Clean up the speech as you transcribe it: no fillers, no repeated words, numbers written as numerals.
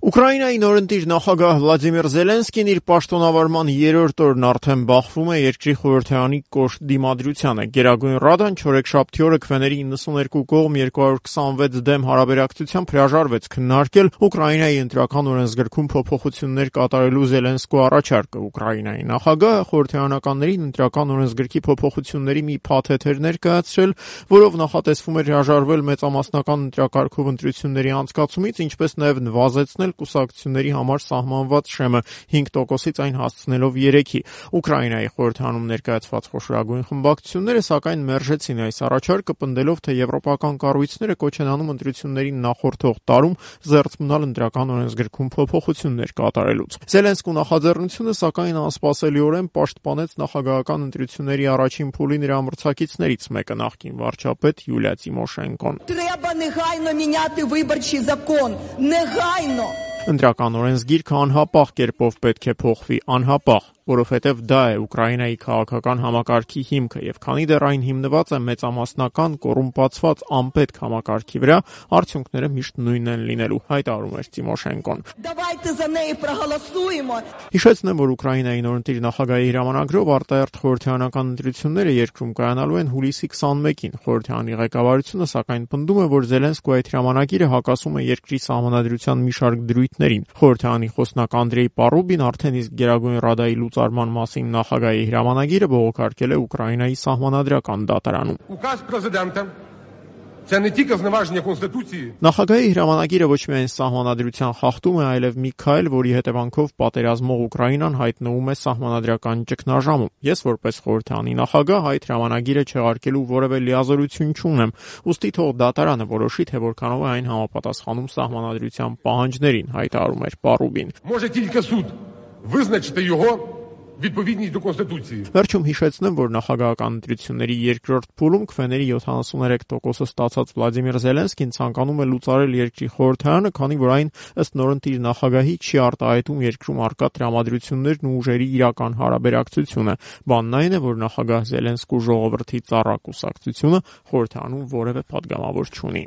Ուկրաինայի նորընտիր նախագահ Վլադիմիր Զելենսկին իր պաշտոնավարման երրորդ օրն արդեն բախվում է երկրի խորհրդարանի կոշտ դիմադրությանը։ Գերագույն Ռադան չորեքշաբթի օրը քվեների 92 կողմ 226 դեմ հարաբերակցությամբ հրաժարվեց քննարկել Ուկրաինայի ընտրական օրենսգրքում փոփոխություններ կատարելու Զելենսկու առաջարկը։ Ուկրաինայի նախագահը խորհրդարանականներին ընտրական օրենսգրքի փոփոխությունների մի փաթեթ էր ներկայացրել, որով նախատեսվում էր հրաժարվել մեծամասնական ընտրակարգով ընտրությունների անցկացումից, ինչպես նաև նվազեցնել կուսակցությունների համար սահմանված շեմը 5%-ից այն հասցնելով 3-ի։ Ուկրաինայի խորհրդարանում ներկայացված խոշորագույն խմբակցությունները սակայն մերժեցին այս առաջարկը, պնդելով, թե եվրոպական կառույցները կոչ են անում ընտրություններին նախորդող տարում զերծ մնալ ընտրական օրենսգրքում փոփոխություններ կատարելուց։ Զելենսկու նախաձեռնությունը սակայն անսպասելիորեն պաշտպանեց նախագահական ընտրությունների առաջին փուլի նրա մրցակիցներից մեկը, նախկին վարչապետ Յուլիա Տիմոշենկոն։ Ընտրական օրենսգիրքը անհապաղ կերպով պետք է փոխվի, անհապաղ, որովհետև դա է Ուկրաինայի քաղաքական համակարգի հիմքը, եւ քանի դեռ այն հիմնված է մեծամասնական, կոռումպացված, անպետք համակարգի վրա, արդյունքները միշտ նույնն են լինելու, հայտարարում էր Տիմոշենկոն։ Հիշեցնեմ, որ Ուկրաինայի նորընտիր նախագահի հրամանագրով արտահերթ խորհրդարանական ընտրությունները երկրում կայանալու են հուլիսի 21-ին։ Խորհրդարանի ղեկավարությունը սակայն պնդում է, որ Զելենսկու այդ հրամանագիրը հակասում է երկրի սահմանադրության մի շարք դրույթներին։ Խորհրդարանի խոսնակ Անդրեյ Պարուբին արդեն իսկ Գերագույն Ռադայի լուծարման մասին նախագահի հրամանագիրը բողոքարկել է Ուկրաինայի սահմանադրական դատարանում։ Նախագահի հրամանագիրը ոչ միայն սահմանադրության խախտում է, այլև մի քայլ, որի հետևանքով պատերազմող Ուկրաինան հայտնվում է սահմանադրական ճգնաժամում։ Ես որպես խորհրդարանի նախագահ այդ հրամանագիրը չեղարկելու որևէ լիազորություն չունեմ, ուստի թող դատարանը որոշի, թե որքանով է այն համապատասխանում սահմանադրության պահանջներին, հայտարարում էր Պարուբին։ Վերջում հիշեցնեմ, որ նախագահական ընտրությունների երկրորդ փուլում քվեների 73%-ը ստացած Վլադիմիր Զելենսկին ցանկանում է լուծարել երկրի խորհրդարանը, քանի որ այն ըստ նորընտիր նախագահի չի արտահայտում երկրում առկա տրամադրություններն ու ուժերի իրական հարաբերակցությունը։ Բանն այն է, որ նախագահ Զելենսկու ժողովրդի ծառա կուսակցությունը խորհրդարանում որևէ պատգամավոր չունի։